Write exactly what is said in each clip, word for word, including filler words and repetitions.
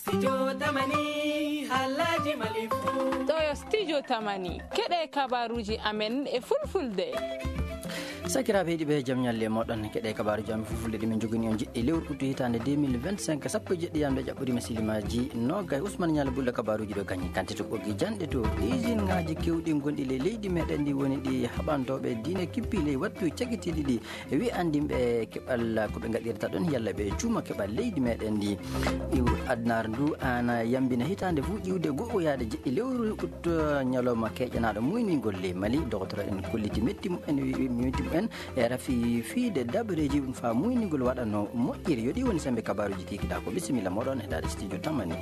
Studio Tamani, Halaji Malifu. Ɗo yo Studio Tamani, keɗe kabaruji amen e fulfulde. Sakiraaɓe heɗiiɓe, jam ñalle e mooɗon. Keɗe kabaruji amen fulfulde ɗi min njogini on jiɗɗi lewru août hitaande deux mille vingt-cinq, sappo e jeɗɗi yamde ƴaɓɓoriima silimaaji noogay. Ousmane Ñaala Bulla kabaruji ɗo gañi kante to ɓoggi janɗe to. Isinŋaaji kewɗi gonɗi ley leydi meɗen ndi woni ɗi haɓantooɓe diine kippi ley wattu cagitiiɗi ɗi. E wi anndinɓe keɓal ko ɓe ngaɗirta ɗon, yalla ɓe cuuma keɓal leydi meɗen ndi. Iw adnar ndu ana yambina hitaande fuu ƴiwde go'o yaade jeɗɗi lewru août, ñalawma keƴanaaɗo muyningol ley Mali. Dogotoro en kolliti metti mumen, wi-, metti mumen e rafi fiide dabareeji ɗum faa muyningol waɗa no moƴƴiri. Yo ɗi woni sembe kabaruuji kikiɗaa ko. Bisimilla mooɗon e daade studio Tamani.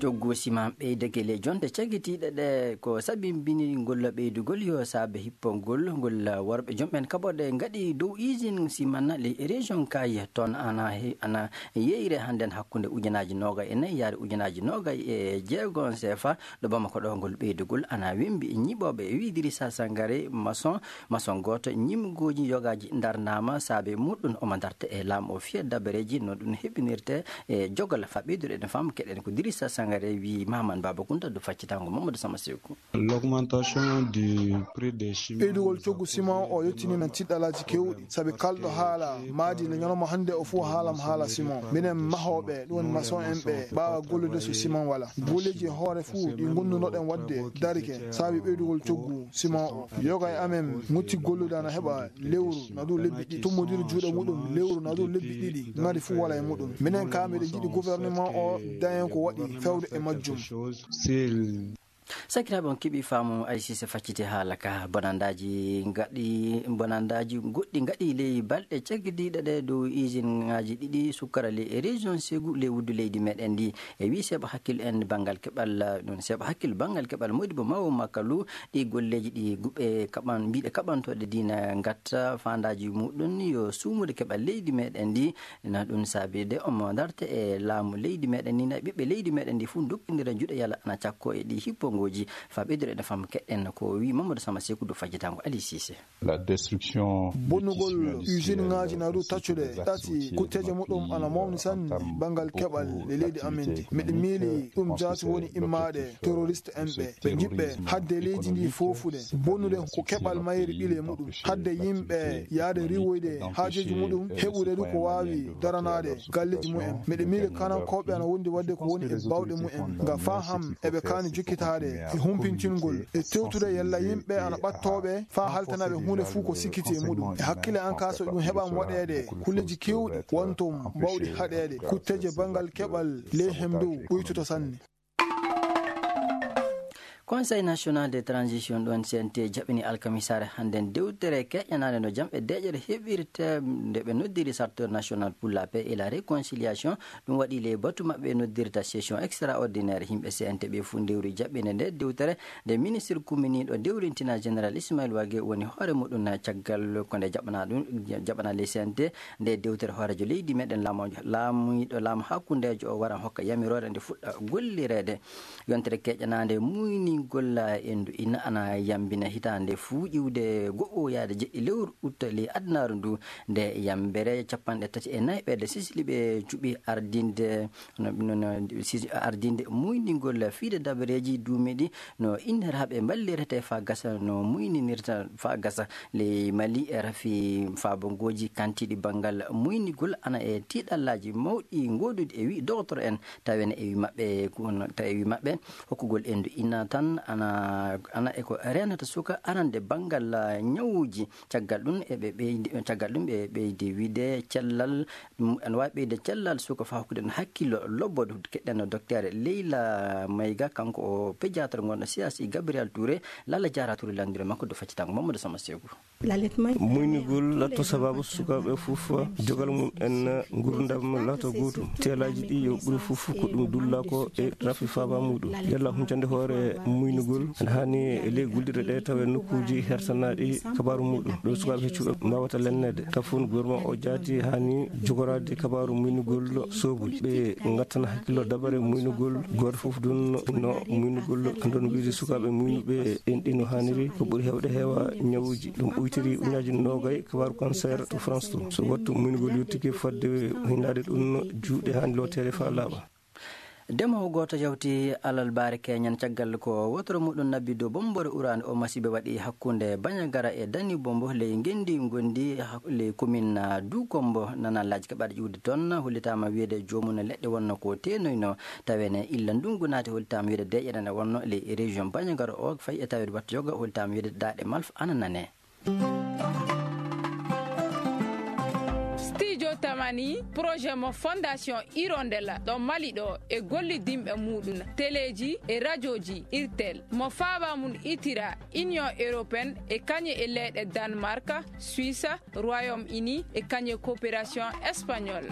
Coggu siman ɓeydake ley jonte cagitiiɗe ɗe ko sabimbini ngol ɓeydugol yo saabe hippongol ngol worɓe jom ɓen kaɓorɗe ngaɗi dow usine siman ley région Kayes. Toon ana he-, ana yeyre hannden hakkunde ujunaaji noogay e nayi yaade ujunaaji noogay e jeego sefa ɗo Bamako ɗo. Ngol ɓeydugol ana wembi e ñiɓooɓe e wi Idrissa Sangare maçon, maçon gooto ñimgooji yogaaji ndarnaama saabe muɗum omo darta e laamu o fiya dabareeji no ɗum heɓinirte e jogal. Faa ɓeydude eɗen faama keɗen ko Dirissa Sangare wi Mahaman Baba Kunta do faccitango Mamadou Sama Seku. L'augmentation du prix des chiments. Ɓeydugol coggu siman o yottinii men tiɗɗalaaji keewɗi, sabi kalɗo haala maadi nde ñalawma hannde o fof haalam haala siman. Minen mahooɓe, ɗum woni maçon en ɓe, ɓaawa gollude so siman wala. Golleeji e hoore fof ɗi ngondunoɗen waɗde darike, sabi ɓeydugol coggu siman o. Yoga e amen mutti gollude ana heɓa lewru na dow lebbi ɗiɗi, tummodiri juuɗe muɗum lewru na dow lebbi ɗiɗi, ngari fof wala e muɗum. Minen ka miɗen jiɗi gouvernement o dañen ko waɗi fewde e majjum. Sakiraaɓe, on keɓi faamu, Aliou Cissé facciti haala ka. Bonandaaji ngaɗi, bonandaaji goɗɗi ngaɗi ley balɗe caggidiiɗe ɗe dow usine ŋaaji ɗiɗi sukkara ley e région Ségou ley wuddu leydi meɗen ndi. E wi seeɓa hakkil en banngal keɓal, ɗum seeɓa hakkil banngal keɓal Modibo Mawo Makalu, ɗi golleeji ɗi guɓe kaɓan-, mbiɗe kaɓantooɗe diina ngatta faandaaji muɗum yo suumude keɓal leydi meɗen ndi. Na ɗum saabide omo darte e laamu leydi meɗen ndi, na ɓiɓɓe leydi meɗen ndi fof dokkindira juuɗe yalla ana cakko e ɗi hippongooji. Faa ɓeydude ene fam keɗen ko wi Mamadou Sama Seku do fajjitango Aliou Cissé. La destruction. Bonnugol usine ŋaaji na dow taccude ɗati kutteeje muɗum ana mawni sanne banngal keɓal e leydi amen ndi. Miɗo miili ɗum jaati woni immaade terroriste en ɓe, ɓe njiɓɓe hadde leydi ndi foofude, bonnude ko keɓal mayri ɓile muɗum, hadde yimɓe yaade riiwoyde haajeeji muɗum, heɓude du ko waawi daranaade galleeji mumen. Miɗo miili kanankooɓe ana wondi waɗde ko woni e baawɗe mumen, nga faa ham eɓe kaani jokkitaade e humpintingol, e tewtude yalla yimɓe ana ɓattooɓe faa haltanaɓe huunde fuu ko sikkiti e muɗum. E hakkille an ka, so ɗum heɓaama waɗeede, kulleeji keewɗi wonto mbawɗi haɗeede, kutteeje banngal keɓal ley hemdow ɓuytoto sanne. Conseil National de Transition, ɗon C N T, jaɓini alkamisaare hannden dewtere keƴanaande no jam e deeƴere heɓirte nde ɓe noddiri Charteur National pour la Paix et la Réconciliation. Ɗum waɗi ley batu maɓɓe noddirta session extraordinaire. Yimɓe C N T ɓe fof ndewri jaɓɓinde nde dewtere nde ministre kumminiiɗo dewrintina Général Ismaël Wagué woni hoore muɗum. Caggal ko nde jaɓana ɗum, jaɓana ley C N T nde dewtere, hooreejo leydi meɗen laamu, laamiiɗo laamu hakkundeejo o wara hokka yamiroore nde fuɗɗa gollireede. Yontere keƴanaande muyningol endu ina ana yambina hitaande fuu ƴiwde go'o yaade jeɗɗi lewru août ley adunaaru ndu. Nde yambere capanɗe tati e nayi ɓeɗe sisli ɓe cuɓi ardinde, no, no, no, sis-, ardinde muyningol fiide dabareeji duumiiɗi no inniraaɓe mballirete faa gasa, no muyninirta faa gasa. Ley Mali e rafi faabongooji kantiiɗi banngal muynigol ana e tiiɗallaaji mawɗi ngooduɗi e wi dogotoro en, tawen e wi maɓɓe, ko, tawi e wi maɓɓe hokkugol endu ina tan ana, ana e ko reenata suka arande banngal, ah, ñawuuji. Caggal ɗum eɓe ɓeydi, caggal ɗum ɓe ɓeydi wiide cellal, mm, ene waawi ɓeyde cellal suka faa hokkude ɗum hakkillo lobbo. Keɗɗen no Docteur Leyla Mayga, kanko o pédiatre ngonɗo C H I Gabriel Touré. Lalla Diarra Touré lanndiro makko do faccitango Mamadou Sama Seku. Muynugol laatto sababu sukaaɓe fof jogal mum en ngurndam laata gootum. Teelaaji ɗi yo ɓuri fof ko ɗum dulla ko e rafi faaba muɗum. Yalla huncande hoore muynugol ene haani e ley gulɗirɗe ɗe tawa e nokkuuji hertanaaɗi kabaaru muɗum. Ɗo sukaaɓe heccuɓe mbaawata lenneede. Tawa fof gouvernement o jaati haani jogoraade kabaaru muynugol soobuji. Ɓe ngattana hakkillo dabare muynugol. Gooto fof ɗum no muynugol, ɗon wiide sukaaɓe muynuɓe enɗi no haaniri, ko ɓuri heewde heewa ñawuuji. Ɗum Tiri ujunnaaji noogay kabaaru cancer to France to. So wattu muñgol yottike fadde hinnaade ɗum, juuɗe haani looteede faa laaɓa. Demoowo gooto yawti alalbaare keñan caggal ko wotoro muɗum nabbi dow bommbore uraande o masiiba waɗi hakkunde Bañagara e Dani Bombo ley ngenndi ngondi ha-, ley komin, ah, Duukombo. Nana laaji kaɓaaɗe ƴuwde toon, hollitaama wiyeede joomum leɗɗe wonno ko teenoyno, tawene illa ndungu naati, hollitaama wiyeede deeƴere nde wonno ley région Bañagara o, fayi e taweede wattu yoga, hollitaama wiyeede daaɗe malfa ana nane. Studio Tamani, projet mo Fondation Hirondella ɗo Mali ɗo e gollidinɓe muɗum, teleeji e rajooji Irtel, mo faaba mum itira Union Européenne e kañe e leyɗe Danemark, Suisse, Royaume-Uni e kañe Coopération Espagnole.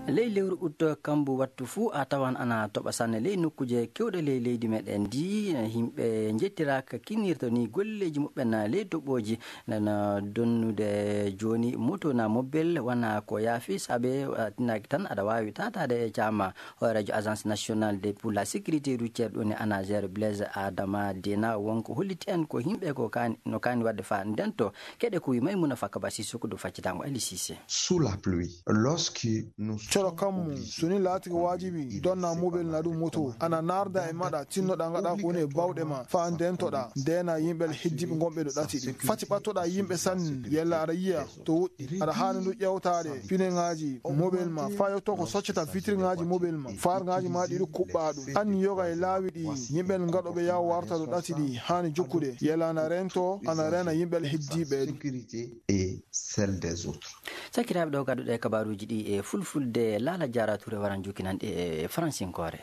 Ley lewru ut kambu wattu fuu a tawan ana toɓa sanne ley nokkuuje keewɗe ley leydi meɗen ndi. Yimɓe njettiraaka kinnirta ni golleeji muɓɓen ley toɓooji, nana donnude jooni moto na mobel wana ko yaafi, saabe, ah, tinnaaki tan aɗa waawi taataade e caama. Hooreejo Agence Nationale de, pour la Sécurité Routière ɗum ne ANASER, Blaise Adama Dena, wonko holliti en ko yimɓe ko kaani, no kaani waɗde faa ndento. Keɗe ko wi Maymuna Fakka Ba Sissoko dow faccitango Ali Cissé. Sous la pluie, lorsque nous Coro sommes kammu, obligés so ni laati ko waajibi, donna mobel na ɗum moto, ana naarda e maɗa, tinnoɗa ngaɗa ko woni e bawɗe ma, faa ndentoɗa, ndena yimɓe heddiɓe ngonɓe ɗo ɗati ɗi. Fati ɓattoɗa yimɓe sanne, yella aɗa yiya to woɗɗi, aɗa haani ɗum ƴewtaade, pineŋaaji, mobel ma, faa yotto ko soccata vitriŋaaji mobel ma, faarŋaaji ma ɗiɗi kuɓɓa ɗum. Anni yoga e laawi ɗi, yimɓe ngaɗoɓe yaw warta ɗo ɗati ɗi, haani jokkude, yella ana rento, ana rena yimɓe heddiɓe. Sécurité et celle des autres. Sakiraaɓe, ɗo gadduɗe kabaruuji ɗi e fulfulde, Laala Jaara Ture waran jukkinanɗe e faransinkoore.